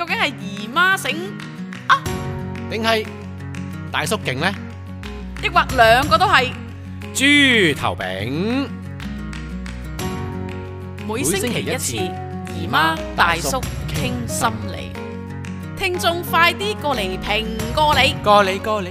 究竟係姨媽醒啊，定係大叔勁呢？抑或兩個都係？豬頭餅，每星期一次，姨媽大叔傾心理，聽眾快啲過嚟評過你。過你。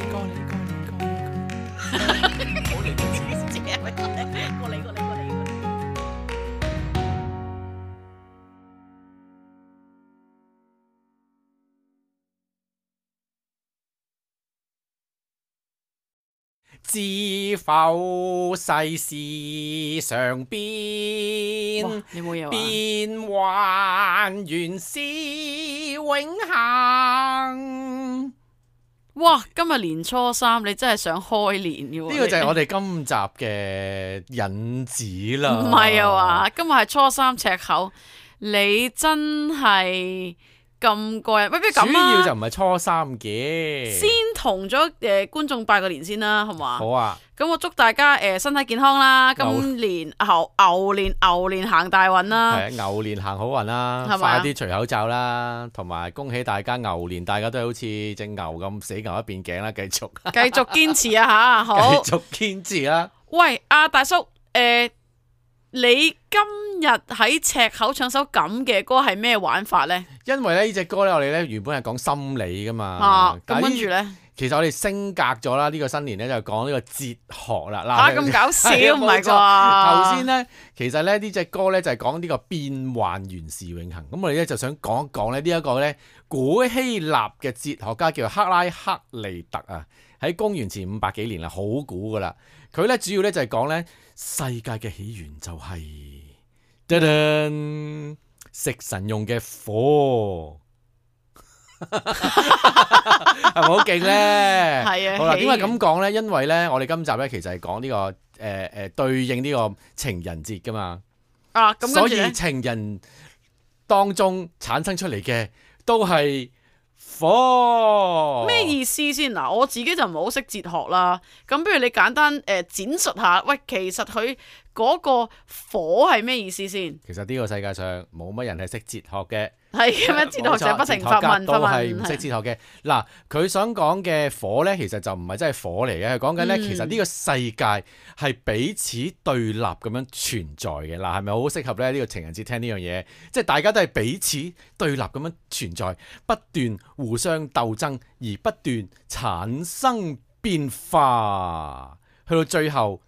知否世事常變，你冇嘢話？變幻原是永恆。哇！今日年初三，你真係想開年嘅喎？呢個就係我哋今集嘅引子啦。唔係啊嘛，今日係初三赤口，你真係咁過癮。喂，不如咁主要就啊，唔係初三嘅。先同咗觀眾拜個年先啦，好嘛？好啊，咁我祝大家身體健康啦，今年牛年行大運啦。係牛年行好運啦，係咪啊快啲除口罩啦，同埋恭喜大家牛年，大家都係好似隻牛咁死牛一邊頸啦，繼續繼續堅持啊吓，好。繼續堅持啦。喂，阿大叔，你今日喺赤口唱首咁嘅歌係咩玩法呢？因為咧呢隻歌咧，我哋咧原本係講心理噶嘛，啊，咁但係跟住呢？其實我哋升格咗啦，呢個新年咧就講呢個哲學啦。吓，咁搞笑係啊唔係冇錯頭先啩？咧，其實咧呢隻歌咧就係講呢個變幻原是永恆。咁我哋咧就想講一講咧呢一個咧古希臘嘅哲學家叫做克拉克利特啊，喺公元前500幾年啦，好古噶啦。佢咧主要咧就係講咧世界嘅起源就係、食神用嘅火。係咪好勁咧？係啊，好啦，點解起源咁講咧？因為咧，我哋今集咧其實係講呢個對應呢個情人節噶嘛，啊，咁所以跟住咧，情人當中產生出嚟嘅都係火。咩意思先？嗱，我自己就唔係好識哲學啦。咁不如你簡單展述下，喂，其實佢嗰個火係咩意思先？其實呢個世界上冇乜人係識哲學嘅。係咁樣，哲學者不停發問，都係唔識哲學嘅。嗱，佢想講嘅火呢，其實就唔係真係火嚟嘅。佢講緊呢，其實呢個世界係彼此對立咁樣存在嘅。嗱，係咪好適合咧？呢個情人節聽呢樣嘢，即係大家都係彼此對立咁樣存在，不斷互相鬥爭，而不斷產生變化，去到最後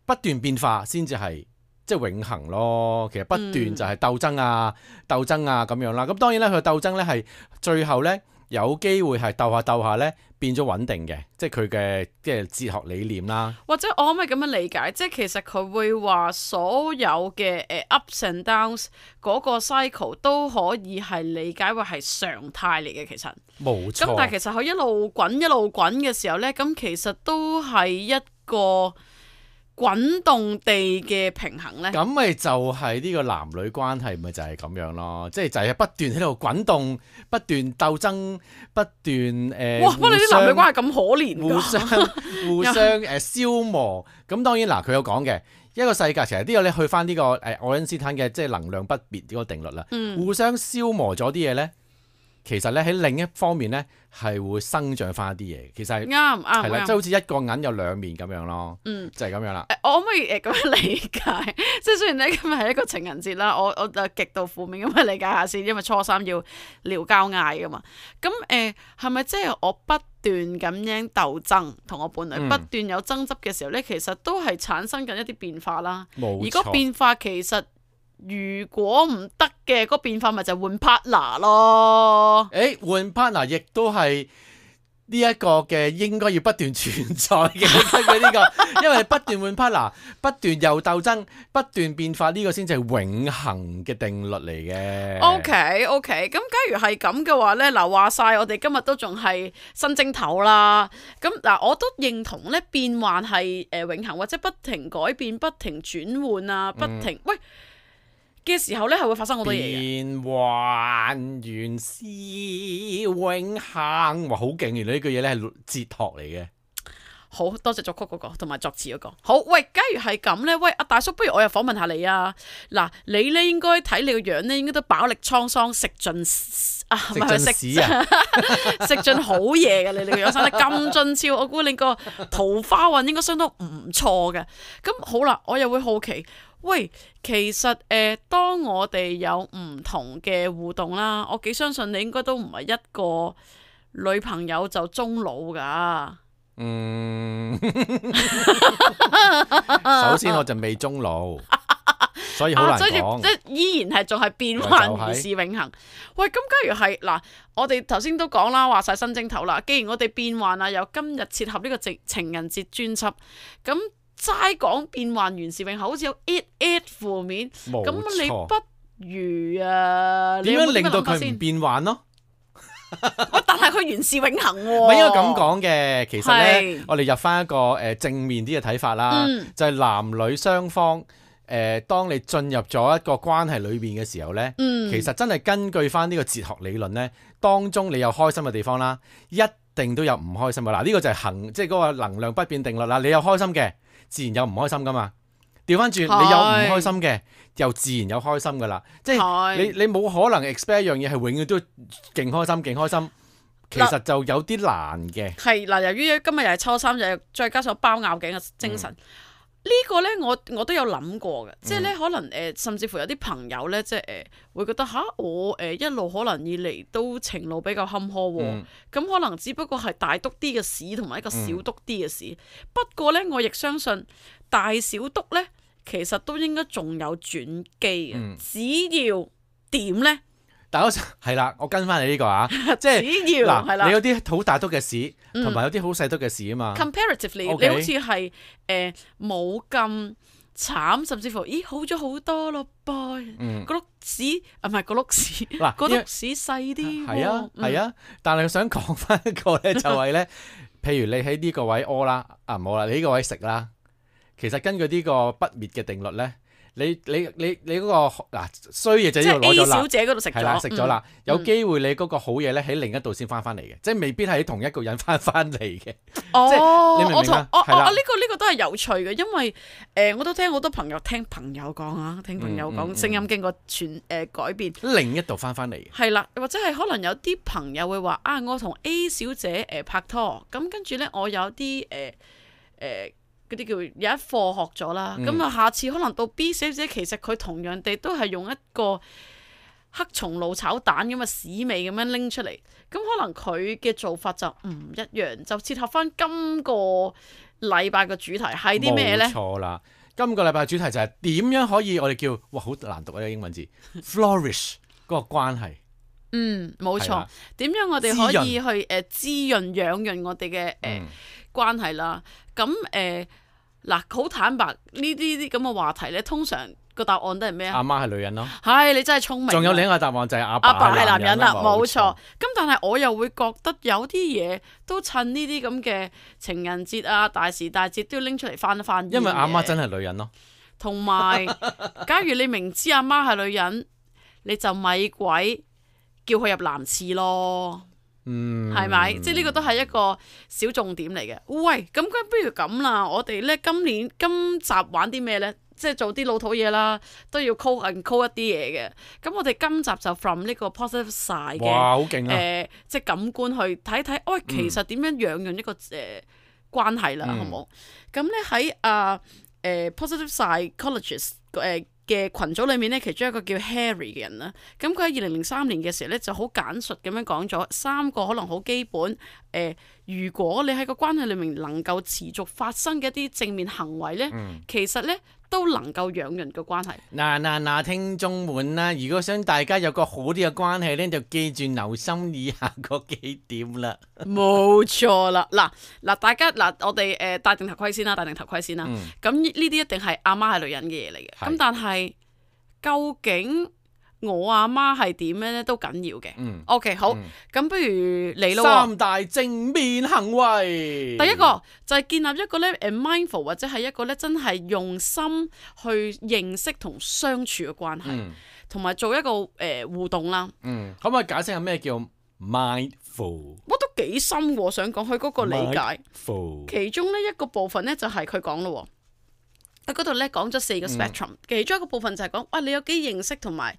不斷變化先至係。即係永恆咯，其實不斷就係鬥爭啊、鬥爭啊咁樣啦。咁當然咧，佢嘅鬥爭咧係最後咧有機會係鬥下咧變咗穩定嘅，即係佢嘅即係哲學理念啦。或者我可唔可以咁樣理解？即係其實佢會話所有嘅ups and downs 嗰個 cycle 都可以係理解為係常態嚟嘅。其實冇錯。咁但係其實佢一路滾嘅時候呢，咁其實都係一個滾動地嘅平衡呢。咁咪就係呢個男女關係咪就係咁樣咯，即係就係不斷喺度滾動，不斷鬥爭，不斷哇！乜你啲男女關係咁可憐㗎？互相消磨。咁當然嗱，佢有講嘅一個世界，其實呢個咧去翻呢個愛因斯坦嘅即係能量不滅呢個定律啦。互相消磨咗啲嘢咧，其實咧喺另一方面咧係會生長翻啲嘢。其實係啱係啦，即係好似一個銀有兩面咁樣咯。就係咁樣啦。我可唔可以咁樣理解？即係雖然咧今日係一個情人節啦，我就極度負面咁去理解下先，因為初三要聊交嗌噶嘛。咁係咪即係我不斷咁樣鬥爭，同我伴侶不斷有爭執嘅時候咧，其實都係產生緊一啲變化啦。冇錯。而個變化其實如果唔得嘅，嗰變化咪就換 partner 咯。換 partner 亦都係呢一個嘅應該要不斷存在嘅佢呢個，因為不斷換 partner，不斷又鬥爭，不斷變化，呢個先至係永恆嘅定律嚟嘅。OK，咁假如係咁嘅話呢，嗱話晒我哋今日都仲係新正頭啦。咁嗱，我都認同呢變幻係永恆或者不停改變、不停轉換啊、不停喂嘅時候呢，係會發生好多嘢嘅。變幻原是永恆，哇好勁！原來呢句嘢咧係哲學嚟嘅。好多謝作曲嗰個同埋作詞嗰個。好，喂，假如係咁呢，喂，阿大叔，不如我又訪問下你啊。嗱，你呢應該睇你個樣呢，應該都飽歷滄桑，食盡唔係食屎啊！食盡好嘢嘅，你個樣生得咁俊俏，我估你個桃花運應該相當唔錯嘅。咁好啦，我又會好奇，喂，其實當我哋有唔同嘅互動啦，我幾相信你應該都唔係一個女朋友就終老噶。首先我就未終老。所以好難講，即係依然係仲係變幻如是永恆。喂，咁假如係嗱，我哋頭先都講啦，話晒新正頭啦。既然我哋變幻啊，由今日切合呢個情人節專輯，咁齋講變幻如是永恆，好似有 it 負面。咁你不如點樣令到佢唔變幻咯？但係佢原是永恆喎。唔係應該咁講嘅，其實咧，我哋入翻一個正面啲嘅睇法啦，就係男女雙方。當你進入咗一個關係裏邊嘅時候呢，其實真係根據翻呢個哲學理論呢，當中你有開心嘅地方啦，一定都有唔開心嘅。嗱，呢個就係即係嗰個能量不變定律啦。你有開心嘅，自然有唔開心噶嘛。調翻轉，你有唔開心嘅，又自然有開心噶啦。即係你冇可能 expect 一樣嘢係永遠都勁開心勁開心，其實就有啲難嘅。係嗱，由於今日又係初三，又再加上包拗頸嘅精神。呢個呢，我都有諗過嘅，即係呢，可能甚至乎有啲朋友呢，即係會覺得我一路可能以嚟都情路比較坎坷喎，咁可能只不過係大篤啲嘅屎同埋一個小篤啲嘅屎。不過呢，我亦相信大小篤呢，其實都應該仲有轉機嘅，只要點呢？但係啦，我跟翻你呢個啊，即係嗱，你有啲好大篤嘅屎，同埋有啲好細篤嘅屎啊嘛。Comparatively，你好似係冇咁慘，甚至乎好咗好多咯，boy。個碌屎唔係個碌屎，個碌屎細啲。係啊，但係我想講翻一個咧，就係咧，譬如你喺呢個位屙啦，唔好啦，你呢個位食啦，其實根據呢個不滅嘅定律咧。你嗰個衰嘢就呢度攞咗啦，A 小姐嗰度食咗，係啦，食咗啦，有機會你嗰個好嘢咧喺另一度先翻嚟嘅，即係未必係喺同一個人翻嚟嘅。即係你明唔明啊？呢個都係有趣嘅，因為我都聽好多朋友講啊，聽朋友講聲音經過改變，另一度翻嚟嘅。係啦，或者係可能有啲朋友會話我同 A 小姐拍拖，咁跟住咧我有啲嗰啲叫有一課學咗啦，咁下次可能到 B 小姐，其實佢同樣地都係用一個黑松露炒蛋咁嘅屎味咁樣拎出嚟，咁可能佢嘅做法就唔一樣，就切合翻今個禮拜嘅主題係啲咩呢？冇錯啦，今個禮拜嘅主題就係點樣可以我哋叫好難讀啊英文字 flourish 嗰個關係。冇錯，點樣我哋可以去滋潤養潤我哋嘅關係啦？咁好坦白呢啲咁嘅話題咧，通常個答案都係咩啊？阿媽係女人咯，係你真係聰明。仲有另一個答案就係阿爸係男人啦，冇錯。咁但係我又會覺得有啲嘢都趁呢啲咁嘅情人節啊、大時大節都要拎出嚟翻一翻。因為阿媽真係女人咯。同埋，假如你明知阿媽係女人，你就咪鬼叫佢入男廁咯。係咪？即係呢個都係一個小重點嚟嘅。喂，咁不如咁啦，我哋咧今集玩啲咩咧？即係做啲老土嘢啦，都要 call 一啲嘢嘅。咁我哋今集就 from 呢個 positive side 嘅，哇，好勁啊！即係感官去睇睇，喂，其實點樣養養一個關係啦，好冇？咁咧喺positive psychologist 嘅群組裏面咧，其中一個叫 Harry 嘅人啦，咁佢喺2003年嘅時候咧，就好簡述咁樣講咗3個可能好基本如果你喺個關係裏面能夠持續發生嘅一啲正面行為咧，其實咧都能夠養人嘅關係。嗱，聽眾們啦，如果想大家有個好啲嘅關係咧，就記住留心以下嗰幾點啦。冇錯啦，嗱，大家我哋戴定頭盔先啦，咁呢啲一定係阿媽係女人嘅嘢嚟嘅。咁但係究竟我阿媽係點樣咧都緊要嘅。OK， 好，咁不如你咯。3大正面行為。第一個就係建立一個咧mindful 或者係一個咧真係用心去認識同相處嘅關係，同埋做一個互動啦。可唔可以解釋下咩叫 mindful？我都幾深喎，我想講佢嗰個理解。 Mindful 其中呢一個部分咧就係佢講咯，喺嗰度咧講咗4個 spectrum，其中一個部分就係講，哇你有幾認識同埋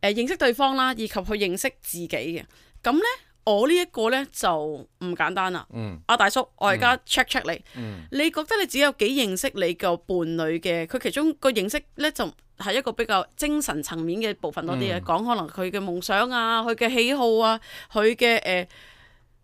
認識對方啦，以及去認識自己嘅。咁咧我呢一個咧就唔簡單啦。阿大叔，我而家 check 你，你覺得你自己有幾認識你個伴侶嘅？佢其中個認識咧就係一個比較精神層面嘅部分多啲嘅，講可能佢嘅夢想啊，佢嘅喜好啊，佢嘅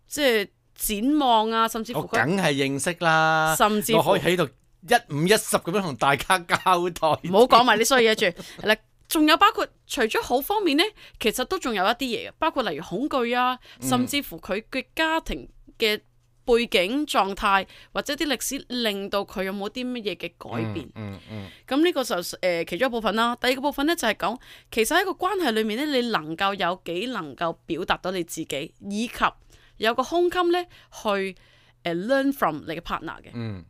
即係展望啊，甚至乎我梗係認識啦，甚至乎我可以喺度1:10咁樣同大家交代。唔好講埋啲衰嘢住。係啦，仲有包括除咗好方面呢，其實都仲有一啲嘢嘅，包括例如恐懼啊，甚至乎佢嘅家庭嘅背景狀態或者啲歷史令到佢有冇啲乜嘢嘅改變。咁呢個就其中一部分啦。第二個部分呢，就係講，其實喺個關係裏面呢，你能夠有幾能夠表達到你自己，以及有個胸襟呢去learn from 你嘅 partner 嘅。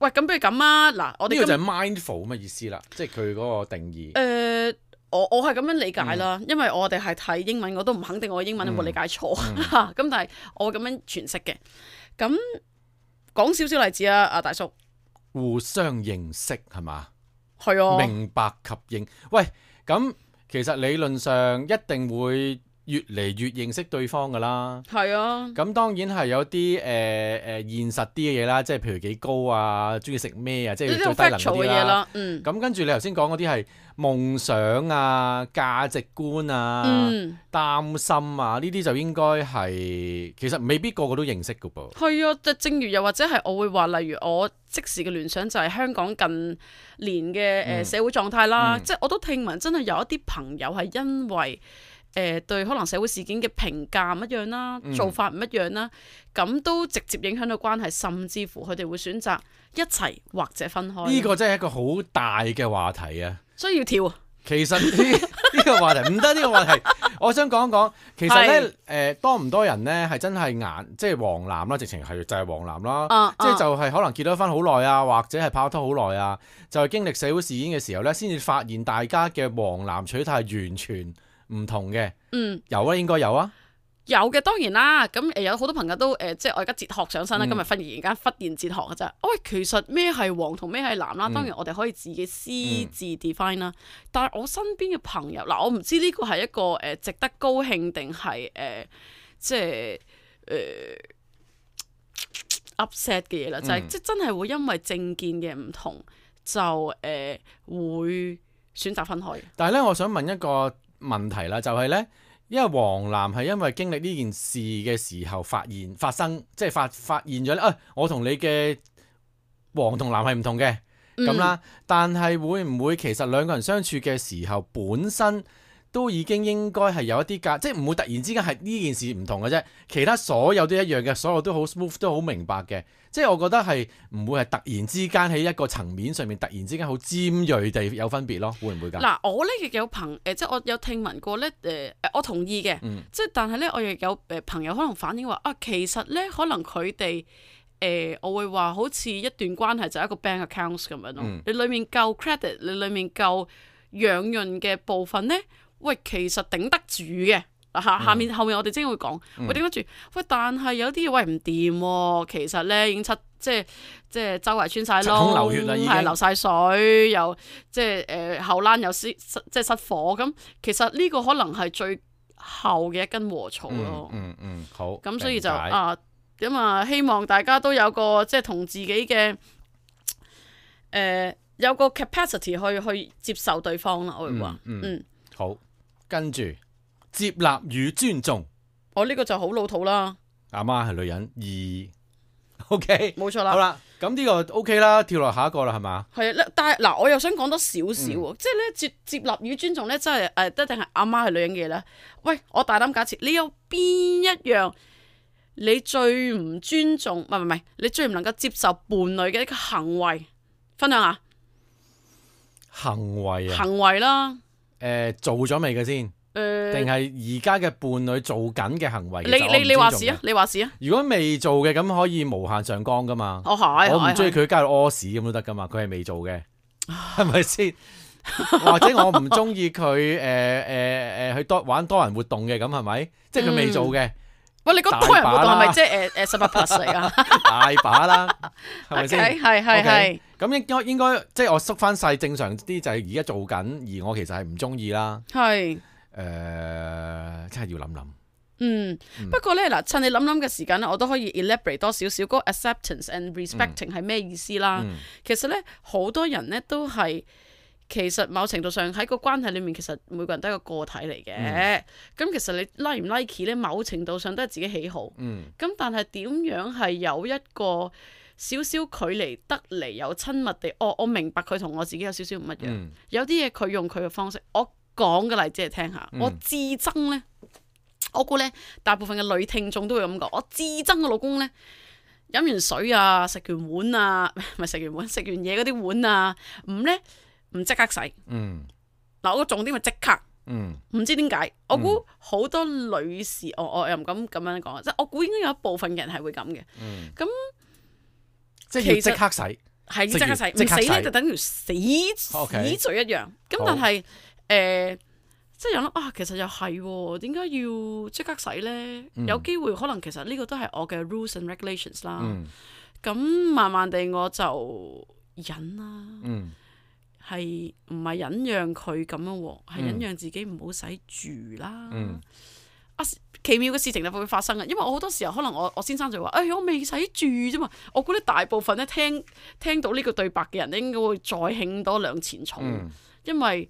喂，咁不如咁啊，嗱，我哋呢個就係 mindful 咁嘅意思啦，即係佢嗰個定義。我係咁樣理解啦，因為我哋係睇英文，我都唔肯定我嘅英文有冇理解錯咁但係我會咁樣詮釋嘅。咁講少少例子啊，阿大叔。互相認識係嘛？係啊。明白及認。喂，咁其實理論上一定會越嚟越認識對方噶啦。係啊。咁當然係有啲現實啲嘅嘢啦，即係譬如幾高啊，中意食咩啊，即係最低能嗰啲啦。咁跟住你頭先講嗰啲係夢想啊、價值觀啊、擔心啊，呢啲就應該係其實未必個個都認識噶噃。係啊，正如又或者係我會話，例如我即時嘅聯想就係香港近年嘅社會狀態啦，即係我都聽聞真係有一啲朋友係因為對可能社會事件嘅評價唔一樣啦，做法唔一樣啦，咁都直接影響到關係，甚至乎佢哋會選擇一齊或者分開。呢個真係一個好大嘅話題啊！所以要跳。其實呢個話題唔得，呢個話題我想講一講。其實呢，多唔多人呢係真係即係黃藍啦，直情係就係黃藍啦，即係就係可能結咗婚好耐啊，或者係拍拖好耐啊，就係經歷社會事件嘅時候呢，先至發現大家嘅黃藍取態係完全唔同嘅。有啊，應該有啊。有嘅，當然啦。咁有好多朋友都即係我而家哲學上身啦。今日忽然哲學嘅啫。喂，其實咩係黃同咩係藍啦？當然我哋可以自己私自 define 啦。但係我身邊嘅朋友嗱，我唔知呢個係一個值得高興定係即係upset 嘅嘢啦。就係即係真係會因為政見嘅唔同就會選擇分開。但係咧，我想問一個問題啦，就係咧。因為黃藍係因為經歷呢件事嘅時候發生，即係發現咗咧，我同你嘅黃同藍係唔同嘅咁啦。但係會唔會其實兩個人相處嘅時候，本身都已經應該係有一啲即係唔會突然之間係呢件事唔同嘅啫。其他所有都一樣嘅，所有都好 smooth， 都好明白嘅。即係我覺得係唔會係突然之間喺一個層面上面突然之間好尖鋭地有分別咯，會唔會㗎？嗱，我呢亦有即係我有聽聞過咧，我同意嘅，即係但係咧，我亦有朋友可能反映話其實咧可能佢哋我會話好似一段關係就係一個 bank accounts 咁樣咯。你裡面夠 credit，你裡面夠養潤嘅部分咧，喂，其實頂得住嘅。後面我哋真會講，喂，頂得住。喂，但係有啲嘢喂唔掂喎，其實咧已經即係周圍穿晒窿，流血啦，已經係流晒水，又即係後欄又即係失火咁。其實呢個可能係最後嘅一根禾草咯。好。咁所以就希望大家都有個即係同自己嘅有個 capacity 去接受對方啦。我會話，好，跟住。接納與尊重，我呢個就好老土啦。阿媽係女人，OK， 冇錯啦。好啦，咁呢個 OK 啦，跳落下一個啦，係嘛？係啊，但係嗱，我又想講多少少，即係咧接納與尊重咧，真係一定係阿媽係女人嘅嘢咧。喂，我大膽假設，你有邊一樣你最唔尊重，唔係，你最唔能夠接受伴侶嘅一個行為，分享下。行為啊？行為啦。做咗未嘅先？定係而家嘅伴侶做緊嘅行為？你話事啊！你話事啊！如果未做嘅，咁可以無限上綱噶嘛？我唔中意佢加入屙屎咁都得噶嘛？佢係未做嘅，係咪先？或者我唔中意佢去玩多人活動嘅，咁係咪？即係佢未做嘅。喂，你講多人活動係咪即係18 plus 嚟啊？大把啦，係咪先？係。咁應該即係我縮翻細正常啲，就係而家做緊，而我其實係唔中意啦。係。真係要諗諗。不過咧嗱，趁你諗諗嘅時間咧，我都可以 elaborate 多少少嗰個 acceptance and respecting 係咩意思啦。其實咧，好多人咧都係其實某程度上喺個關係裡面，其實每個人都係個個體嚟嘅。咁其實你 like 唔 like 咧，某程度上都係自己喜好。咁但係點樣係有一個少少距離得嚟，有親密地，我明白佢同我自己有少少唔一樣。有啲嘢佢用佢嘅方式，我講嘅例子嚟聽下。我至憎咧。我估咧，大部分嘅女聽眾都會咁講。我至憎嘅老公咧，飲完水啊，食完碗啊，唔係食完碗，食完嘢嗰啲碗啊，唔即刻洗。嗱，我個重點係即刻。唔知點解，我估好多女士，我又唔敢咁樣講，即係我估應該有一部分人係會咁嘅。咁即係要即刻洗，係即刻洗，唔死咧就等於死罪一樣。咁但係即係諗啊，其實又係點解要即刻洗呢？有機會可能其實呢個都係我嘅 rules and regulations 啦。咁慢慢地我就忍啦，係唔係忍讓佢咁樣喎？係忍讓自己唔好洗住啦。奇妙嘅事情就會發生嘅，因為我好多時候可能我先生就話：我未洗住啫嘛。我估咧大部分咧聽到呢個對白嘅人咧，應該會再興多兩錢草，因為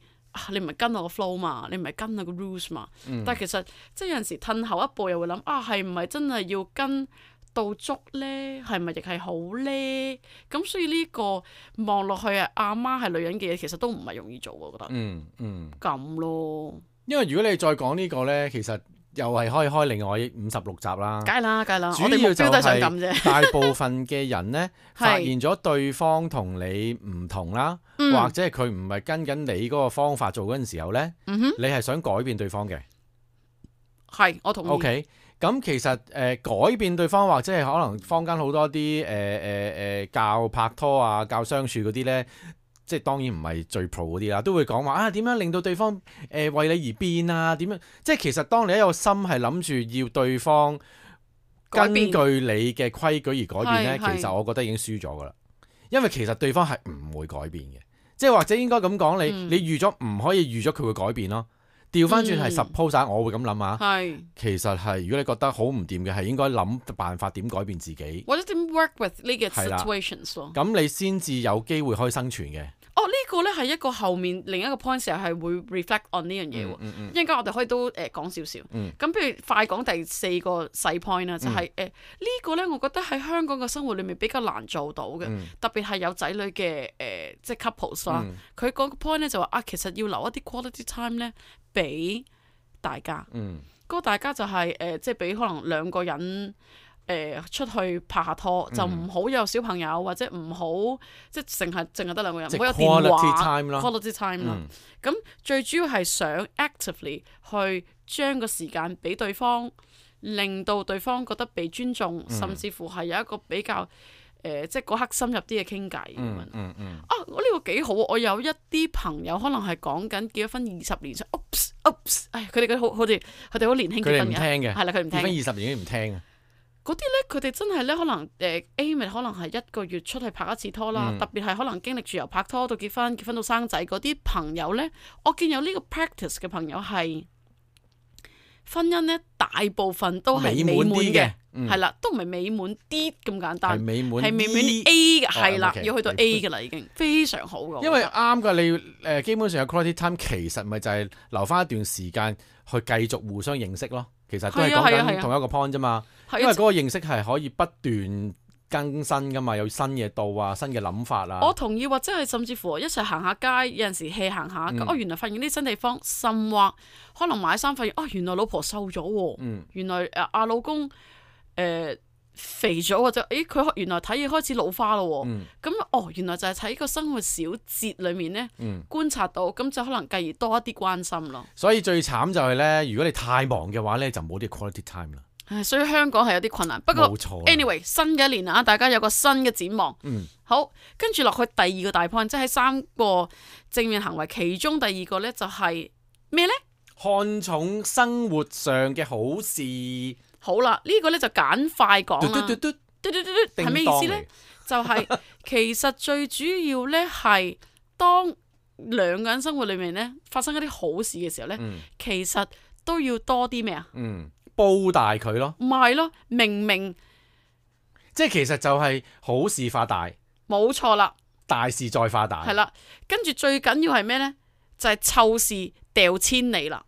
你唔係跟我個 flow 嘛，你唔係跟我個 rules 嘛。但係其實即係有陣時褪後一步又會諗係唔係真係要跟到足咧？係咪亦係好咧？咁所以呢個望落去阿媽係女人嘅嘢，其實都唔係容易做，我覺得。咁咯。因為如果你再講呢個咧，其實又係可以開另外56集啦。梗係啦。主要就係我哋目標都係想咁啫。大部分嘅人咧，發現咗對方同你唔同啦。或者係佢唔係跟緊你嗰個方法做嗰陣時候呢，你係想改變對方嘅。係，我同意。OK，咁其實改變對方或者係可能坊間好多啲教拍拖啊、教相處嗰啲呢，即係當然唔係最 pro 嗰啲啦，都會講話點樣令到對方為你而變啊？點樣？即係其實當你一個心係諗住要對方根據你嘅規矩而改變呢，其實我覺得已經輸咗噶啦。因為其實對方係唔會改變嘅。即係或者應該咁講，你預咗唔可以預咗佢會改變咯。調翻轉係 suppose 我會咁諗下。其實係如果你覺得好唔掂嘅，係應該諗辦法點改變自己，或者點 work with 呢個 situations 咯。咁你先至有機會可以生存嘅。呢個咧係一個後面另一個 point 時候係會 reflect on 呢樣嘢喎。一陣間我哋可以都講少少。咁譬如快講第4個細 point 啦，就係呢個咧，我覺得喺香港嘅生活裏面比較難做到嘅，特別係有仔女嘅即係 couples 啦。佢嗰個 point 咧就話其實要留一啲 quality time 咧俾大家。嗰個大家就係即係俾可能2個人。出去拍下拖就唔好有小朋友，或者唔好即係淨係得2個人，唔好有電話 quality time 啦。咁最主要係想 actively 去將個時間俾對方，令到對方覺得被尊重，甚至乎係有一個比較即係嗰刻深入啲嘅傾偈咁樣。呢個幾好，我有一啲朋友可能係講緊結咗婚20年，佢哋好年輕結婚嘅，係啦，佢唔聽。結婚20年已經唔聽啊！嗰啲咧，佢哋真係咧，可能aim 可能係1個月出去拍一次拖啦。特別係可能經歷住由拍拖到結婚，結婚到生仔嗰啲朋友咧，我見有呢個 practice 嘅朋友係婚姻咧，大部分都係美滿嘅，係啦，都唔係美滿啲咁簡單，係美滿 A 嘅，係啦，要去到 A 嘅啦，已經非常好嘅。因為啱㗎，你基本上有 quality time，其實咪就係留翻一段時間去繼續互相認識咯。其實都係講緊同一個 point 啫嘛，因為嗰個認識係可以不斷更新噶嘛，有新嘢到啊，新嘅諗法啊。我同意，或者係甚至乎一齊行下街，有陣時 hea 行下，原來發現啲新地方，甚或可能買衫發現，原來老婆瘦咗喎，原來阿老公肥咗，或者佢原來睇嘢開始老花咯喎，咁原來就係喺個生活小節裏面咧觀察到，咁就可能繼而多一啲關心咯。所以最慘就係咧，如果你太忙嘅話咧，就冇啲 quality time 啦。所以香港係有啲困難，不過 anyway 新嘅一年啊，大家有個新嘅展望。好，跟住落去第2個大 point，即係3個正面行為，其中第2個咧就係咩咧？看重生活上嘅好事。好啦，呢個咧就簡快講啦。嘟嘟係咩意思咧？就係其實最主要咧係當兩個人生活裏面咧發生一啲好事嘅時候咧，其實都要多啲咩啊？煲大佢咯。唔係咯，明即係其實就係好事化大。冇錯啦。大事再化大。係啦，跟住最緊要係咩咧？就係湊事掉千里啦。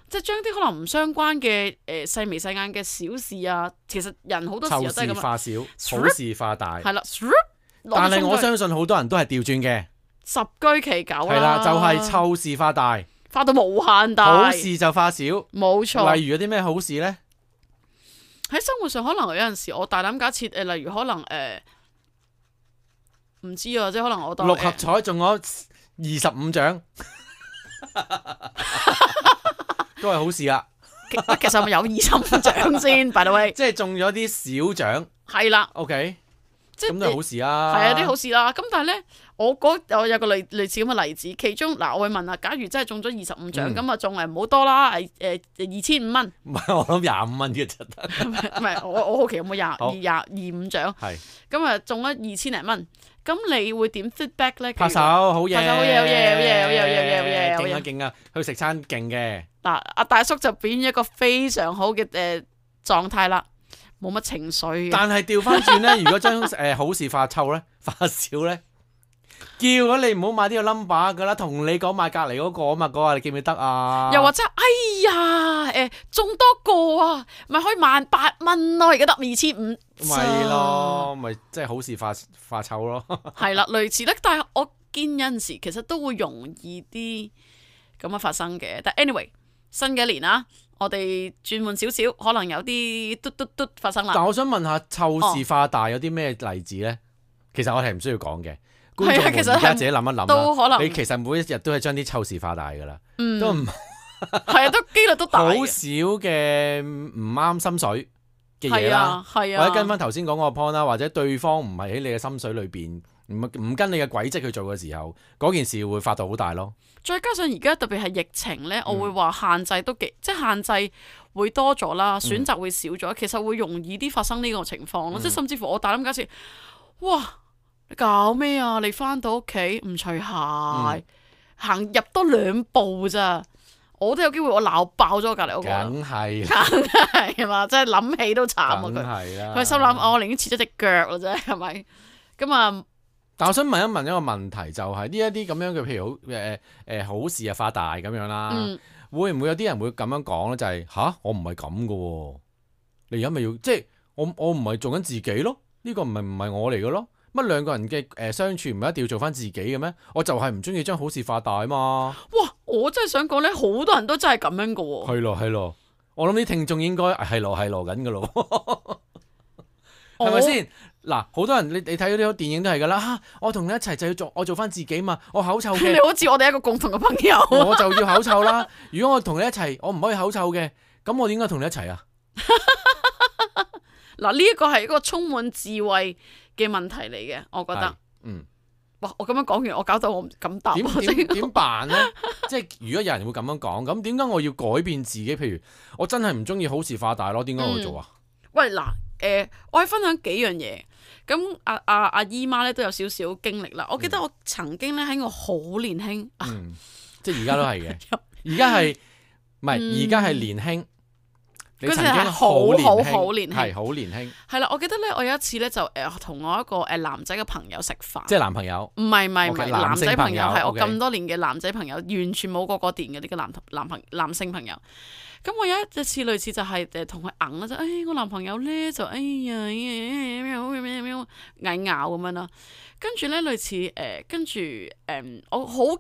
即係將啲可能唔相關嘅細眉細眼嘅小事啊，其實人好多時候都係咁。湊事化小，好事化大。係啦，但係我相信好多人都係調轉嘅。十居其九啦。係啦，就係湊事化大，化到無限大。好事就化小。冇錯。例如有啲咩好事咧？喺生活上可能有陣時我大膽假設例如可能唔知啊，即係可能我當六合彩中咗25獎，都係好事啦。其實係咪有25獎先？By the way，即係中咗啲小獎。係啦。OK，即係咁都係好事啊。係啊，啲好事啦。咁但係咧，我有個類似咁嘅例子，其中嗱，我會問啊，假如真係中咗25獎，咁啊中唔好多啦，2500蚊。唔係，我諗25蚊嘅就得。唔係，我好奇有冇25獎？係。咁啊中咗2000零蚊。咁你會點 feedback 咧？拍手，好嘢，拍手，好嘢，好嘢，好嘢，好嘢，好嘢，好嘢，好嘢，勁啊勁啊！去食餐勁嘅。嗱，阿大叔就表現一個非常好嘅狀態啦，冇乜情緒嘅。但係調翻轉咧，如果將好事化臭咧，化小咧，叫咗你唔好買呢個 number 噶啦，同你講買隔離嗰個啊嘛，嗰個你記唔記得啊？又或者，哎呀，中多個啊，咪可以18,000咯，而家得2500。咪咯，咪即係好事化臭咯。係啦，類似咧，但係我見有陣時其實都會容易啲咁樣發生嘅。但 anyway，新嘅一年啊，我哋轉換少少，可能有啲嘟發生啦。但我想問下，湊事化大有啲咩例子咧？其實我係唔需要講嘅，觀眾們而家自己諗一諗都可能你其實每一日都係將啲湊事化大噶啦，都唔係啊，都機率都大。好少嘅唔啱心水嘅嘢啦，係啊，或者跟翻頭先講嗰個 point 啦，或者對方唔係喺你嘅心水裏邊，唔跟你嘅軌跡去做嘅時候，嗰件事會發到好大咯。再加上而家特別係疫情咧，我會話限制都幾，即係限制會多咗啦，選擇會少咗，其實會容易啲發生呢個情況咯。即係甚至乎我大膽假設，哇，你搞咩啊？你翻到屋企唔除鞋，行入多2步咋？我都有機會我鬧爆咗隔離屋個。梗係，梗係嘛，真係諗起都慘啊！佢心諗我寧願切咗隻腳啦啫，係咪？咁啊，但我想問一個問題，就係呢一啲咁樣嘅，譬如好事啊化大咁樣啦，會唔會有啲人會咁樣講咧？就係我唔係咁噶喎，你而家咪要即係我唔係做緊自己咯？呢個唔係我嚟嘅咯？乜兩個人嘅相處唔係一定要做翻自己嘅咩？我就係唔中意將好事化大啊嘛！哇！我真係想講咧，好多人都真係咁樣噶喎。係咯，我諗啲聽眾應該係羅緊噶咯，係咪先？嗱，好多人你睇嗰啲電影都係噶啦，我同你一齊就要我做翻自己嘛，我口臭嘅。你好似我哋一個共同嘅朋友，我就要口臭啦。如果我同你一齊，我唔可以口臭嘅，咁我點解同你一齊啊？嗱，呢一個係一個充滿智慧嘅問題嚟嘅，我覺得。哇！我咁樣講完，我搞到我唔敢答。點辦呢？即係如果有人會咁樣講，咁點解我要改變自己？譬如我真係唔中意好事化大咯，點解我會做啊？喂，嗱，我可以分享幾樣嘢。咁阿姨媽咧都有少少經歷啦。我記得我曾經咧喺我好年輕，即係而家都係嘅。而家係唔係？而家係年輕。你曾經好年輕，係好年輕。係啦，我記得咧，我有一次咧就同我一個男仔嘅朋友食飯，即係男朋友？唔係男仔朋友，係我 OK 咁多年嘅男仔朋友，完全冇個電嘅呢個男性朋友。咁我有一次類似就係同佢硬啦，就我男朋友咧就嗌咬咁樣啦。跟住咧類似跟住我好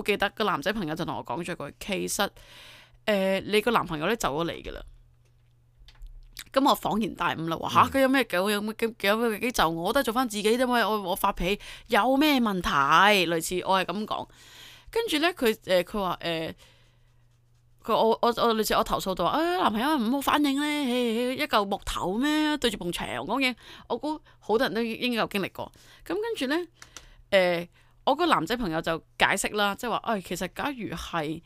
記得個男仔朋友就同我講咗句，其實你個男朋友咧走咗嚟噶啦。咁我恍然大悟啦，話佢有咩幾就我都係做翻自己啫嘛，我發脾氣有咩問題？類似我係咁講，跟住咧佢話我類似我投訴到話男朋友唔好反應咧，一嚿木頭咩對住埲牆講嘢，我估好多人都應該有經歷過。咁跟住咧我個男仔朋友就解釋啦，即係話其實假如係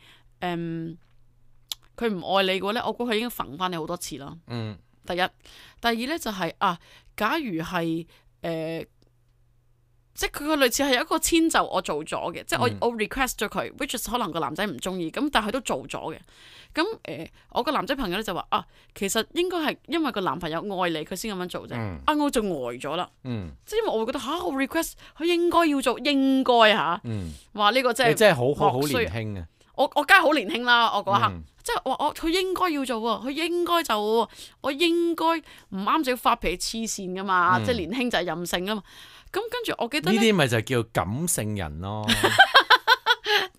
佢唔愛你嘅話咧，我估佢已經揈翻你好多次啦。嗯，第一，第二咧就係、假如係即係佢個類似係有一個遷就我做咗嘅，即係我 request 咗佢，which is 可能個男仔唔中意，咁但係佢都做咗嘅。咁我個男仔朋友咧就話其實應該係因為個男朋友愛你，佢先咁樣做啫。我就呆咗啦。即係因為我會覺得我 request 佢應該要做，應該話呢個真係你真係好年輕啊！我梗係好年輕啦，我嗰一刻。即係我佢應該要做喎，佢應該就我應該唔啱就要發脾氣黐線噶嘛，即係年輕就係任性啊嘛。咁跟住我記得呢啲咪就叫感性人咯。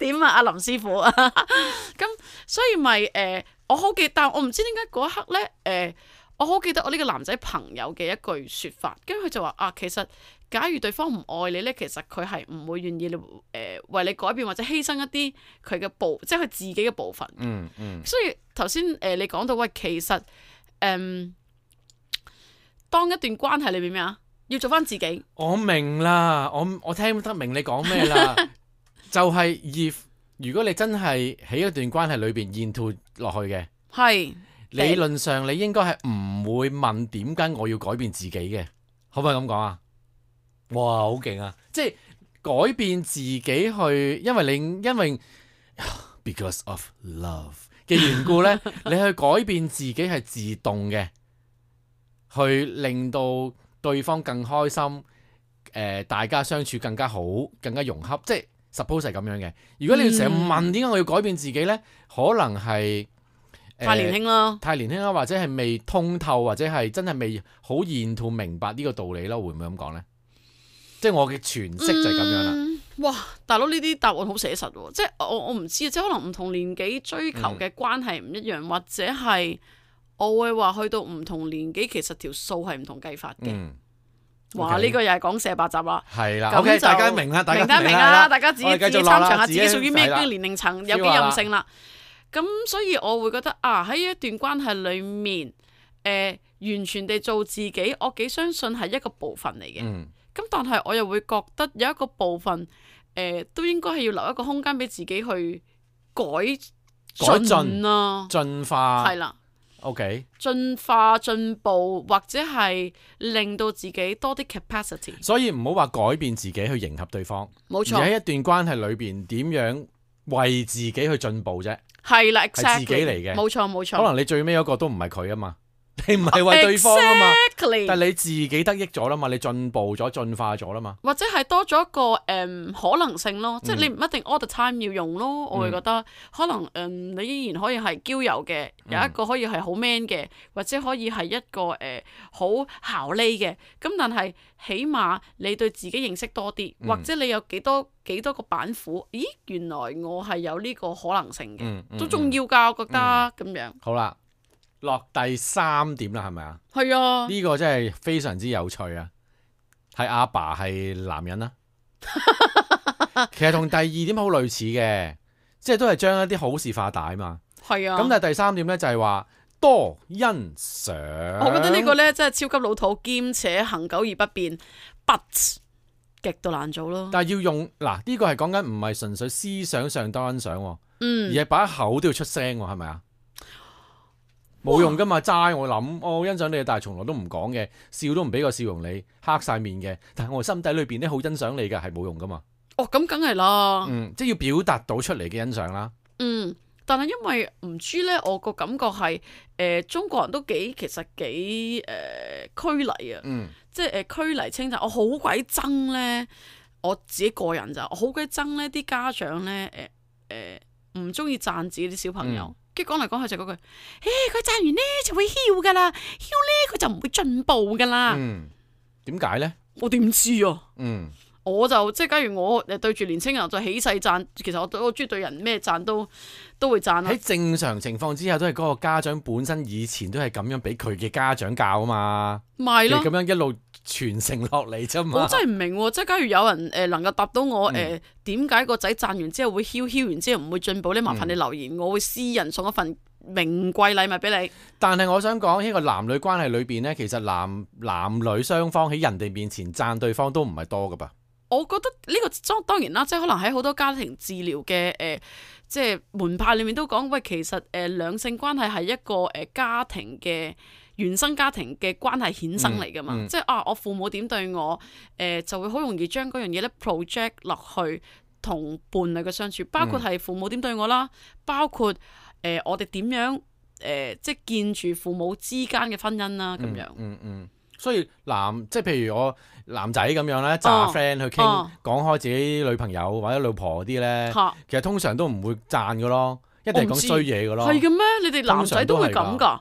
點啊，阿林師傅咁所以咪我好記得，但我唔知點解嗰一刻咧我好記得我呢個男仔朋友嘅一句説法，跟住佢就話其實假如對方唔愛你咧，其實佢係唔會願意為你改變或者犧牲一啲佢嘅即係佢自己嘅部分。所以頭先你講到喂，其實當一段關係裏面咩啊，要做翻自己。我明啦，我聽得明你講咩啦，就係如果你真係喺一段關係裏邊沿途落去嘅，係理論上你應該係唔會問點解我要改變自己嘅，可唔可以咁講啊？哇，好勁啊！即係改變自己去，因為 because of love 嘅緣故呢，你去改變自己係自動嘅，去令到對方更開心，大家相處更加好，更加融洽，即係 suppose 係咁樣嘅。如果你要成日問點解我要改變自己呢，可能係太年輕啦，太年輕啦，或者係未通透，或者係真係未好沿途明白呢個道理啦，會唔會咁講呢？即係我嘅詮釋就係咁樣啦。哇，大佬呢啲答案好寫實喎！即係我唔知啊，即係可能唔同年紀追求嘅關係唔一樣，或者係我會話去到唔同年紀，其實條數係唔同計法嘅。哇！呢個又係講射白集啦。係啦，OK，大家明啦，大家明啦，大家自己參詳下自己屬於咩年齡層，有幾任性啦。咁所以我會覺得喺一段關係裡面，完全地做自己，我幾相信係一個部分嚟嘅。咁但係我又會覺得有一個部分，都應該係要留一個空間俾自己去改進啦，進化係啦。OK， 進化進步或者係令到自己多啲 capacity。所以唔好話改變自己去迎合對方，冇錯。而喺一段關係裏邊點樣為自己去進步啫？係啦，係自己嚟嘅，冇錯冇錯。可能你最尾嗰個都唔係佢啊嘛。你唔係為對方啊嘛， Exactly. 但係你自己得益咗啦嘛，你進步咗、進化咗啦嘛，或者係多咗一個可能性咯，即係你唔一定 all the time 要用咯。我會覺得可能你依然可以係嬌柔嘅，有一個可以係好 man 嘅，或者可以係一個好姣麗嘅。咁但係起碼你對自己認識多啲，或者你有幾多個板斧？咦，原來我係有呢個可能性嘅，都重要㗎，我覺得咁樣。好啦。落第3點啦，係咪啊？係啊，呢個真係非常之有趣啊！係阿爸係男人啦，其實同第2點好類似嘅，即係都係將一啲好事化大嘛。係啊。咁但係第3點咧就係話多欣賞。我覺得呢個咧真係超級老土，兼且恆久而不變，but 極度難做咯。但係要用嗱呢個係講緊唔係純粹思想上多欣賞，而係把口都要出聲，係咪啊？冇用噶嘛，齋我諗，我欣賞你，但係從來都唔講嘅，笑都唔俾個笑容你，黑晒面嘅，但係我心底裏邊咧好欣賞你嘅，係冇用噶嘛。咁梗係啦。即係要表達到出嚟嘅欣賞啦。但係因為唔知咧，我個感覺係中國人都其實幾拘禮啊。即係拘禮稱讚，我好鬼憎咧，我自己個人咋，我好鬼憎咧啲家長咧唔中意讚自己啲小朋友。跟住講嚟講去就嗰句，佢讚完呢就會囂噶啦，囂呢佢就唔會進步噶啦。點解呢？我點知啊？我就即係假如我對住年青人就起勢讚，其實我中意對人咩讚都會讚啦。喺正常情況之下，都係嗰個家長本身以前都係咁樣俾佢嘅家長教啊嘛，咪咯，咁樣一路傳承落嚟啫嘛。我真係唔明喎，即係假如有人能夠答到我點解個仔讚完之後會囂完之後唔會進步呢？麻煩你留言，我會私人送一份名貴禮物俾你。但係我想講呢個男女關係裏邊呢，其實男女雙方喺人哋面前讚對方都唔係多噶噃。我覺得呢個當然啦，即係可能喺好多家庭治療嘅即係門派裏面都講，喂，其實兩性關係係一個家庭嘅原生家庭嘅關係衍生嚟噶嘛，即係我父母點對我，就會好容易將嗰樣嘢咧 project 落去同伴侶嘅相處，包括係父母點對我啦，包括我哋點樣即係見住父母之間嘅婚姻啦咁樣。所以即係譬如我男仔咁樣咧，揸 friend 去傾講開自己女朋友或者老婆啲咧，其實通常都唔會讚噶咯，一定係講衰嘢噶咯。係嘅咩？你哋男仔都會咁㗎？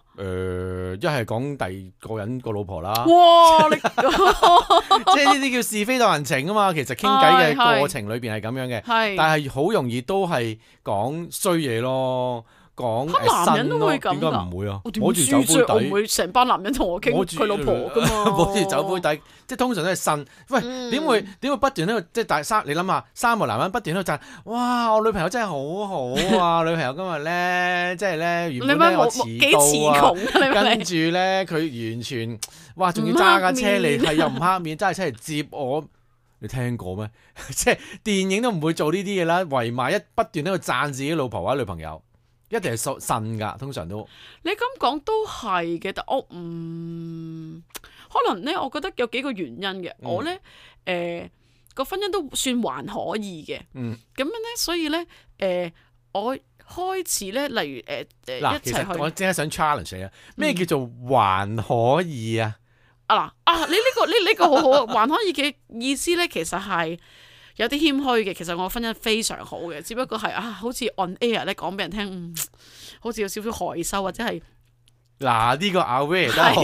一係講第二個人個老婆啦。哇！即係呢啲叫是非當人情啊嘛。其實傾偈嘅過程裏邊係咁樣嘅，但係好容易都係講衰嘢咯。男人都會咁㗎？點解唔會啊？摸住酒杯底，我唔會成班男人同我傾佢老婆噶嘛。摸住酒杯底，即係通常都係呻。喂，點會不斷喺度？即係你諗下，三個男人不斷喺度讚，哇！我女朋友真係好好啊！女朋友今日咧，即係咧，原本咧我遲到啊，跟住咧佢完全，哇！仲要揸架車嚟，係又唔黑面，揸架車嚟接我。你聽過咩？即係電影都唔會做呢啲嘢啦，圍埋不斷喺度讚自己老婆或者女朋友。一定係呻㗎，通常都。你咁講都係嘅，但我可能咧，我覺得有幾個原因嘅。我咧個婚姻都算還可以嘅。咁樣咧，所以咧我開始咧，例如一齊去。其實我即刻想 challenge 你啊！咩叫做還可以啊？你呢個好好啊！還可以嘅意思咧，其實係有啲謙虛嘅，其實我婚姻非常好嘅，只不過係好似 on air 咧講俾人聽，好似有少少害羞或者係呢個 aware 都好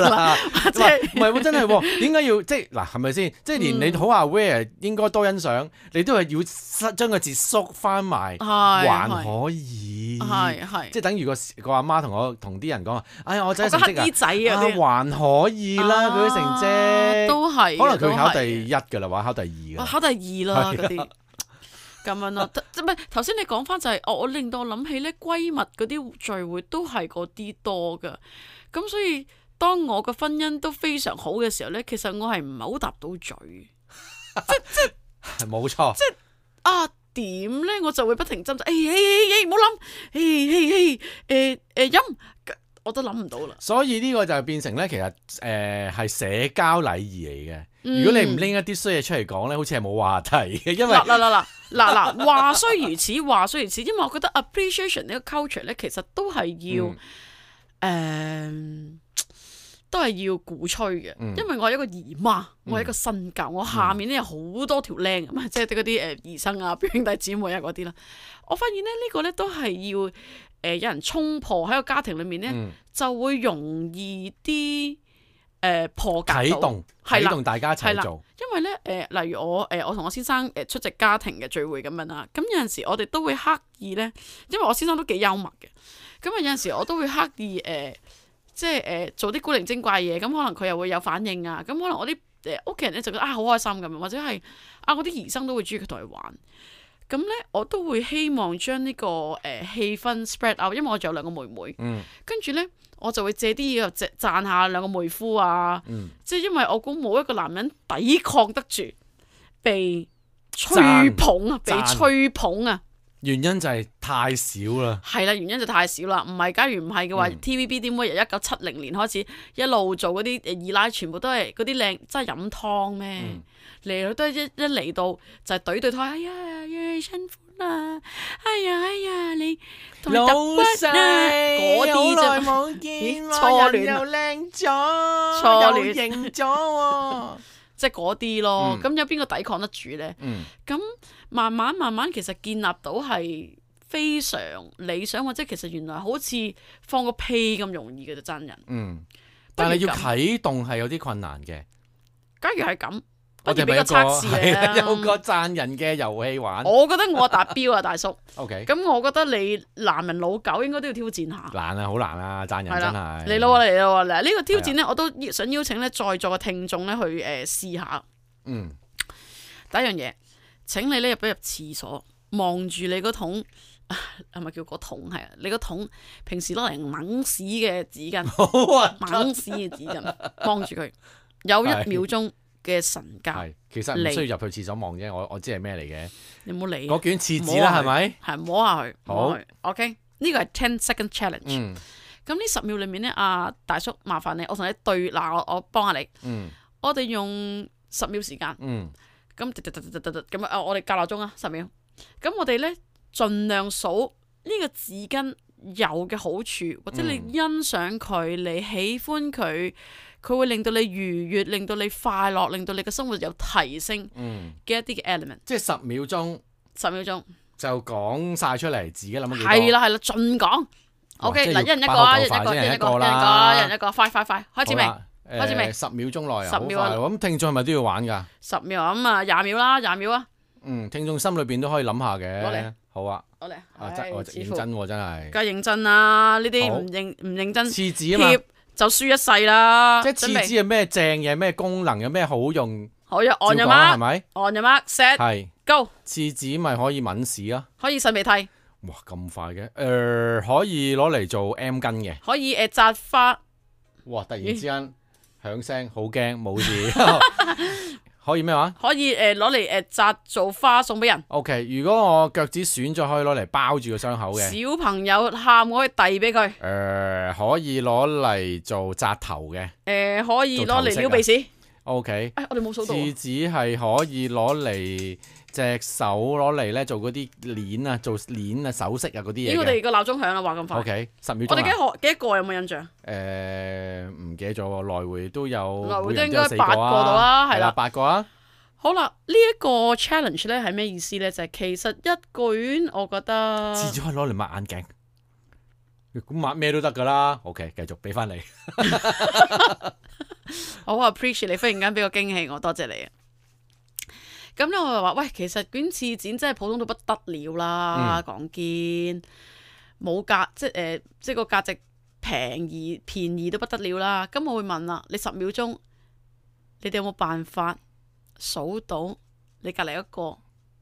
啦，即係唔係喎？真係喎，點解要即係係咪先？即係連你好 aware 應該多欣賞，你都係要將個字縮翻埋，還可以，即係等於個阿媽同啲人講話，哎呀我仔成績仔還可以啦，佢啲成績都係，可能佢考第一㗎啦，或者考第二㗎，考第二啦嗰啲。咁樣咯，唔係頭先你講翻就係，我令到我諗起咧閨蜜嗰啲聚會都係嗰啲多噶，咁所以當我個婚姻都非常好嘅時候咧，其實我係唔係好搭到嘴，即係冇錯，即係點咧，我就會不停斟唔好諗，飲。我都諗唔到啦，所以呢個就變成咧，其實係社交禮儀嚟嘅。如果你唔拎一啲衰嘢出嚟講咧，好似係冇話題嘅。因為嗱，話雖如此，話雖如此，因為我覺得 appreciation 呢個 culture 咧，其實都係要都係要鼓吹嘅。因為我係一個姨媽，我係一個新教，我下面咧有好多條靚咁即係嗰啲姨甥啊、表兄弟姊妹啊嗰啲啦。我發現咧呢個咧都係要。有人衝破喺個家庭裏面咧，就會容易啲破格啟動大家一齊做。因為咧例如我同我先生出席家庭嘅聚會咁樣啦，咁有陣時我哋都會刻意咧，因為我先生都幾幽默嘅，咁有陣時我都會刻意即係做啲古靈精怪嘢，咁可能佢又會有反應啊，咁可能我啲屋企人咧就覺得好開心咁樣，或者係我啲兒生都會中意佢同佢玩。咁咧，我都會希望將呢個氣氛 spread out，因為我仲有兩個妹妹，跟住咧我就會借啲嘢又讚下兩個妹夫啊，即係因為我估冇一個男人抵抗得住被吹捧啊，被吹捧啊。原因就係太少啦，係啦，原因就太少啦。唔係，假如唔係嘅話，TVB 點會由1970年開始一路做嗰啲二奶，全部都係嗰啲靚，真係飲湯咩？嚟到都一嚟到就係對對台，哎呀，辛苦啦，哎呀，你同你揼骨啦，嗰啲啫，冇見錯戀又靚咗，錯戀型咗，即係嗰啲咯。咁有邊個抵抗得住咧？咁慢慢其實建立到係非常理想，或者其實原來好似放個屁咁容易嘅就真人。但係要啟動係有啲困難嘅。假如係咁。我哋俾個測試有個讚人嘅遊戲玩。我覺得我達標啊，大叔。OK。咁我覺得你男人老狗應該都要挑戰下。難啊，好難啊，讚人真係。嚟咯，嗱呢個挑戰咧，我都想邀請咧在座嘅聽眾咧去試下。第一樣嘢，請你咧入廁所，望住你個桶，係咪叫個桶？係啊，你個桶平時攞嚟掹屎嘅紙巾，掹屎嘅紙巾，望住佢，有1秒鐘。嘅神教。係，其實唔需要入去廁所望啫，我知係咩嚟嘅。你唔好理嗰卷廁紙啦，係咪？係摸下佢。好 ，OK，呢個係 10 second challenge。嗯咁呢10秒裏面咧，大叔麻煩你，我同你對嗱，我幫下你。嗯我哋用10秒時間。嗯咁咁啊，我哋校鬧鐘啊，10秒。咁我哋咧盡量數呢個紙巾有嘅好處，或者你欣賞佢，你喜歡佢，佢會令到你愉悅，令到你快樂，令到你嘅生活有提升嘅一啲嘅 element。即係10秒鐘10秒鐘就講晒出嚟，自己諗咗幾多？係啦，盡講。OK，嗱，一人一個啊，一人一個，快，開始未？開始未？10秒鐘內啊， 10秒好快喎。咁聽眾係咪都要玩㗎？10秒咁啊，20秒啦，20秒啊。聽眾心裏邊都可以諗下嘅。攞嚟，好啊。攞嚟。我認真喎，真係。梗係認真啦，呢啲唔認真，廁紙啊嘛，就輸一世啦。即係廁紙係咩正嘢，咩功能，有咩好用？好呀，on your 係咪 mark，on your mark，set，係 go。廁紙咪可以抿屎啊？可以擤鼻涕。哇，咁快嘅？可以攞嚟做 M 巾嘅。可以紮花。哇！突然之間響聲，好驚，冇事。可以咩話？可以攞嚟紮做花送俾人。OK，如果我腳趾損咗，可以攞嚟包住個傷口嘅。小朋友喊，我可以遞俾佢。可以攞嚟做紮頭嘅。可以攞嚟撩鼻屎。OK。我哋冇數到。廁紙係可以攞嚟隻手攞嚟咧做嗰啲鏈啊，做鏈啊、首飾啊嗰啲嘢嘅。我哋個鬧鐘響啦，話咁快。OK， 10秒鐘。我哋幾多個有冇印象？唔記得咗喎，來回都有。來回都應該8個度啦，係啦，8個啊。好啦，呢一個 challenge 咧係咩意思咧？就係其實一卷，我覺得廁紙可以攞嚟抹眼鏡，咁抹咩都得噶啦。OK， 繼續俾翻你。我好 appreciate 你忽然間俾個驚喜我，多謝你啊！咁咧我就話喂，其實卷廁紙真係普通到不得了啦，講堅冇價，即係個價值便宜到不得了啦。咁我會問啦，你10秒鐘，你哋有冇辦法數到你隔離一個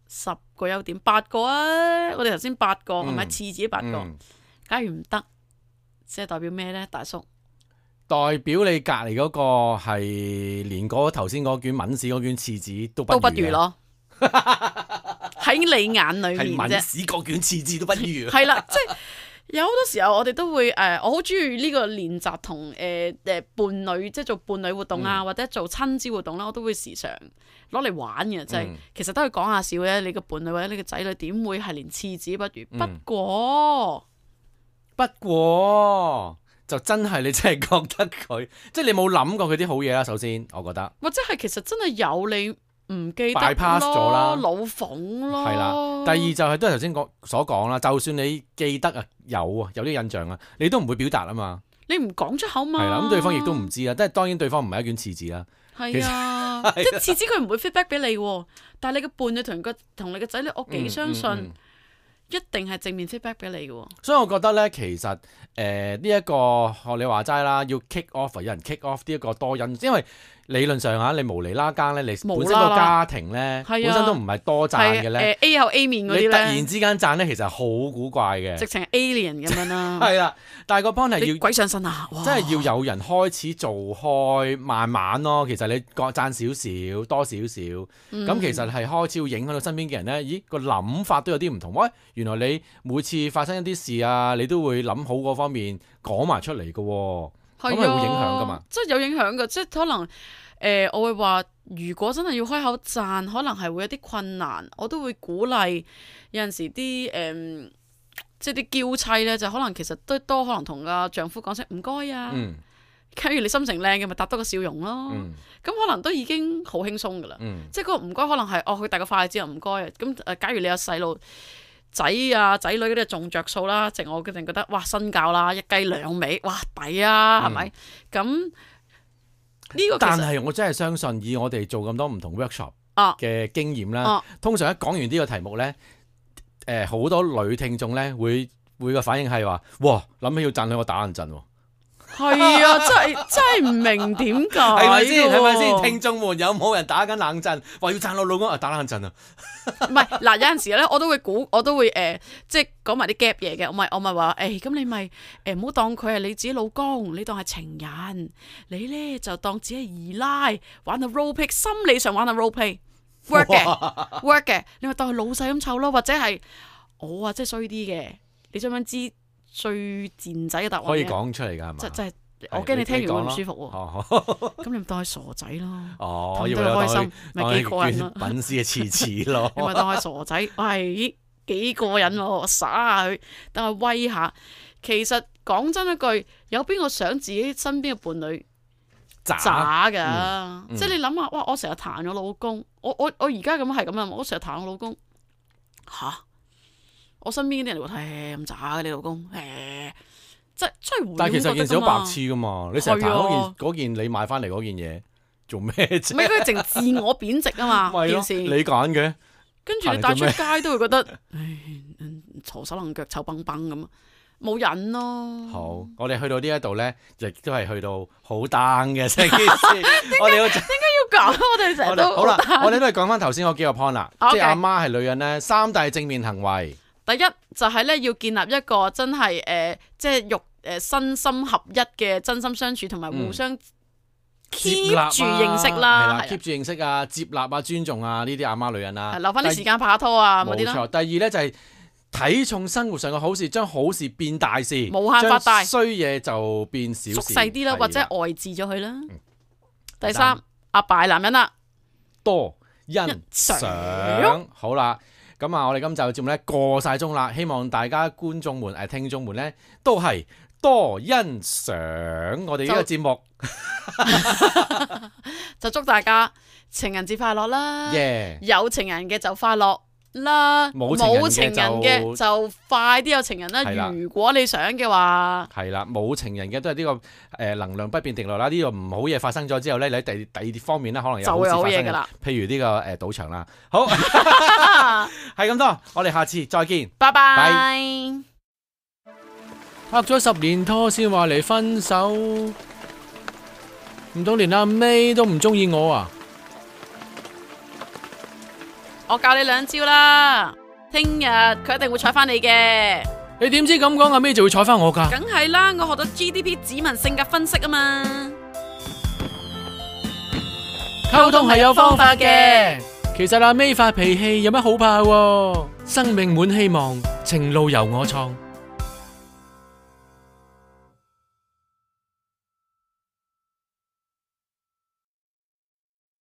10個優點8個啊？我哋頭先8個係咪廁紙8個？假如唔得，即係代表咩呢？大叔？代表你隔離嗰個係連嗰頭先嗰卷抿屎嗰卷廁紙都不如咯，喺你眼裏面啫。抿屎嗰卷廁紙都不如。係啦，即係有好多時候我哋都會我好中意呢個練習同伴侶，即係做伴侶活動啊，或者做親子活動啦，我都會時常攞嚟玩嘅，就係其實都係講下笑嘅。你個伴侶或者你個仔女點會係連廁紙不如？不過。就真係你真係覺得佢，即係你冇諗過佢啲好嘢啦。首先，我覺得，或者係其實真係有你唔記得 bypass 咗啦，老馮咯。係啦。第二就係都係頭先所講啦。就算你記得啊，有啲印象啊，你都唔會表達啊嘛。你唔講出口嘛。係啦，咁對方亦都唔知啦。即係當然對方唔係一卷廁紙啦。係啊，即係廁紙佢唔會 feedback 俾你，但係你嘅伴侶同你嘅仔女，我幾相信。一定係正面 feedback 俾你嘅，所以我覺得咧，其實呢一個學你話齋啦，要 kick off， 有人 kick off 呢一個多因，因為理論上你無厘啦更咧，你本身個家庭咧，本身都唔係多讚嘅咧，A 有 A 面嗰啲咧，你突然之間讚咧，其實好古怪嘅，直情係 alien 咁樣啦。係啦，但係個 point 係要鬼上身啊！真係要有人開始做開，慢慢咯。其實你讚少少，多少少，咁其實係開始會影響到身邊嘅人咧。咦，個諗法都有啲唔同。喂，原來你每次發生一啲事啊，你都會諗好嗰方面講埋出嚟嘅，咁係會影響噶嘛？即係有影響嘅，即係可能我會話，如果真係要開口讚，可能係會有啲困難。我都會鼓勵有陣時啲即係啲嬌妻咧，就可能其實都多可能同個丈夫講聲唔該啊。假如你心情靚嘅，咪搭多個笑容咯。咁可能都已經好輕鬆噶啦。即係嗰個唔該，可能係佢遞個筷子又唔該啊。咁假如你有細路仔啊仔女嗰啲仲着數啦，我決定覺得哇身教啦，一雞兩味，哇抵啊，係咪？咁呢個但係我真係相信，以我哋做咁多唔同 workshop 嘅經驗啦，通常一講完呢個題目咧，好多女聽眾咧會個反應係話，哇諗起要讚佢我打冷震喎。係啊，真係唔明點解係咪先？係咪先？喎聽眾們有冇人打緊冷震？話要讚我老公啊，打冷震啊！唔係嗱，有陣時咧，我都會即係講埋啲 gap 嘢嘅。我咪話咁你咪唔好當佢係你自己老公，你當係情人，你咧就當自己係二奶，玩下 role play，心理上玩下 role play，work 嘅，work 嘅，你咪當佢老細咁湊咯，或者係我啊，即係衰啲嘅，你想唔想知最賤仔嘅答案？可以講出嚟㗎係嘛？即係我驚你聽完會唔舒服喎。咁你咪當佢傻仔咯。哦，氹以到佢開心，當咪幾過癮咯。品絲嘅刺刺咯。你咪當佢傻仔，喂，幾過癮喎，耍下佢，等佢威下。其實講真一句，有邊個想自己身邊嘅伴侶渣㗎？即係你諗下，哇！我成日彈我老公，我而家咁係咁啊！我成日彈我老公，吓？我身邊啲人會睇咁渣嘅你老公，真係會。但係其實件事好白痴噶嘛，你成日彈嗰件你買翻嚟嗰件嘢做咩啫？唔係佢淨自我貶值啊嘛，件事。你揀嘅，跟住你帶出街都會覺得，嘈手楞腳臭崩崩咁，冇癮咯。好，我哋去到呢一度咧，亦都係去到好 down 嘅成件事。我哋點解要講？我哋成日都好啦，我哋都係講翻頭先嗰幾個 point 啦，即係阿媽係女人咧，3大正面行為。第一就係咧要建立一個真係即係身心合一嘅真心相處，同埋互相 keep 住認識啦，keep 住認識啊，接納啊，尊重啊，呢啲阿媽女人啦，留翻啲時間拍下拖啊嗰啲啦。冇錯。第二咧就係睇重生活上嘅好事，將好事變大事，無限發大，衰嘢就變小事，縮細啲啦，或者外置咗佢啦。第三，阿爸男人啦，多欣賞。好啦。咁啊，我哋今集嘅節目咧過晒鐘啦，希望大家觀眾們、聽眾們咧都係多欣賞我哋呢個節目，就祝大家情人節快樂啦！ 有情人嘅就快樂啦，冇情人嘅就快啲有情人啦。如果你想嘅話，係啦，冇情人嘅都係呢個能量不變定律啦。呢個唔好嘢發生咗之後咧，你喺第二方面咧可能有好事發生嘅，譬如呢個賭場啦。好，係咁多，我哋下次再見，拜拜。拍咗10年拖先話嚟分手，唔通連阿 May 都唔中意我啊？我教你2招啦，聽日佢一定會睬翻你嘅。你點知咁講阿 May 就會睬翻我噶？梗係啦，我學咗 GDP 指紋性格分析啊嘛。溝通係有方法嘅。其實阿 May 發脾氣有乜好怕喎？生命滿希望，情路由我創。